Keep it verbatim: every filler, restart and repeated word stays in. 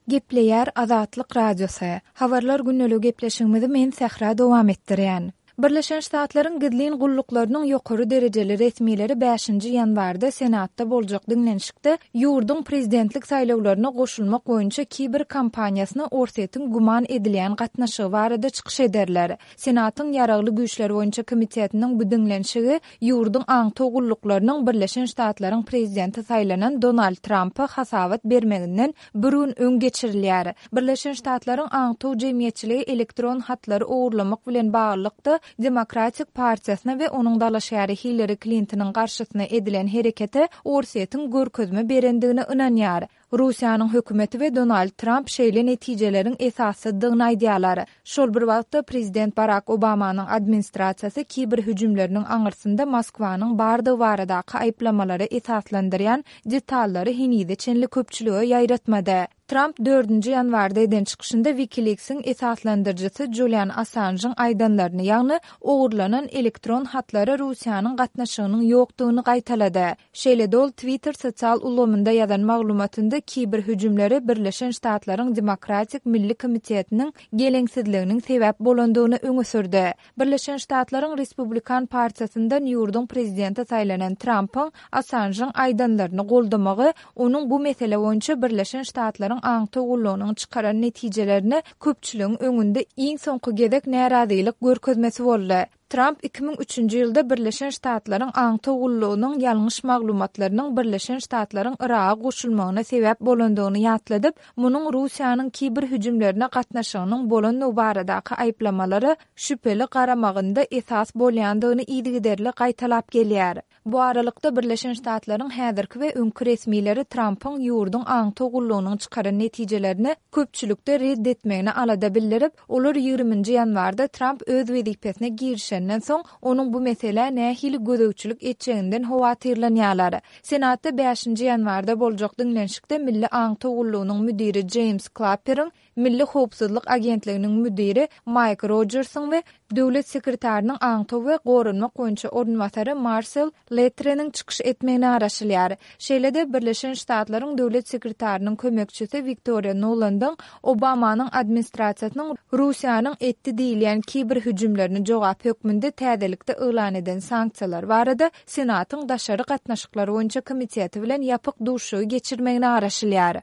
Gepleýär Azatlyk Radiosy. Habarlar gündeligi gepleşigimizi men Sähra dowam etdirýän. Birleşen Ştatlaryň gizlin gulluklarynyň ýokary derejeli resmileri bäşinji ýanwarda Senatda boljak diňlenişikde ýurduň prezidentlik saýlawlaryna goşulmak boýunça kiber kampaniýasyna Orsýetiň güman edilýän gatnaşygy barada çykyş ederler. Senatyň Ýaragly güýçler boýunça komitetiniň bu diňlenişigi ýurduň aňtaw gulluklarynyň Birleşen Ştatlaryň prezidenti saýlanan Donald Trampa hasabat bermeginden bir gün öň geçirilýär. Birleşen Ştatlaryň aňtaw jemgyýetçiligi elektron hatlary ogurlamak bilen baglylykda Demokratik partiýasyna we onuň dalaşgäri Hillari Klintonyň garşysyna edilen herekete Orsýetiň görkezme berendigine ynanýar. Russiýanyň hökümeti we Donald Tramp şeýle netijeleriň esassyzdygyny aýdýarlar. Şol bir wagtda, prezident Barak Obamanyň administrasiýasy kiber hüjümleriniň aňyrsynda Moskwanyň bardygy baradaky aýyplamalary esaslandyrýan detallary henize çenli köpçülige ýaýratmady. Tramp dördünji ýanwarda eden çykyşynda WikiLeaks-iň esaslandyryjysy Julian Assanjyň aýdanlaryny, ýagny ogurlanan elektron hatlara Russiýanyň gatnaşygynyň ýokdugyny gaýtalady. Şeýle-de ol Twitter sosial ulgamynda ýazan maglumatynda kiber hüjümlere Birleşen Ştatlaryň Demokratik milli komitetiniň geleňsizliginiň sebäp bolandygyny öňe sürdi. Birleşen Ştatlaryň Respublikan partiýasyndan ýurduň prezidenti saýlanan Trampyň Assanjyň aýdanlaryny goldamagy onuň bu mesele boýunça Birleşen Ştatlaryň aňtaw gullugynyň çykaran netijelerine köpçüligiň öňünde iň soňky gezek närazylyk görkezmesi boldy. Tramp iki müň üçünji ýylda Birleşen Ştatlaryň aňtaw gullugynyň ýalňyş maglumatlarynyň Birleşen Ştatlaryň Yraga goşulmagyna sebäp bolandygyny ýatladyp, munuň Russiýanyň kiber hüjümlerine gatnaşygynyň bolandygy baradaky aýyplamalara şübheli garamagynda esas bolýandygyny yzygiderli gaýtalap gelýär. Bu aralykda, Birleşen Ştatlaryň häzirki we öňki resmileri Trampyň ýurduň aňtaw gullugynyň çykaran netijelerini köpçülikde red etmegine alada bildirip, olar ýigriminji ýanwarda Tramp öz wezipesine girişenden soň, onuň bu meselä nähili gözegçilik etjeginden howatyrlanýarlar. Senatda bäşinji ýanwarda boljak diňlenişikde Milli aňtaw gullugynyň müdiri Jeýms Klapperiň, Milli howpsuzlyk agentliginiň müdiri Maýk Rojersiň we döwlet sekretarynyň aňtaw we goranmak boýunça orunbasary Marsel Letreniň çykyş etmegine garaşylýar. Şeýle-de, Birleşen Ştatlaryň döwlet sekretarynyň kömekçisi Wiktoriýa Nulandyň Obamanyň administrasiýasynyň Russiýanyň etdi diýilýän kiber hüjümlerine jogap hökmünde täzelikde yglan eden sanksiýalary barada Senatyň daşary gatnaşyklar boýunça komiteti bilen ýapyk duşuşygy geçirmegine garaşylýar.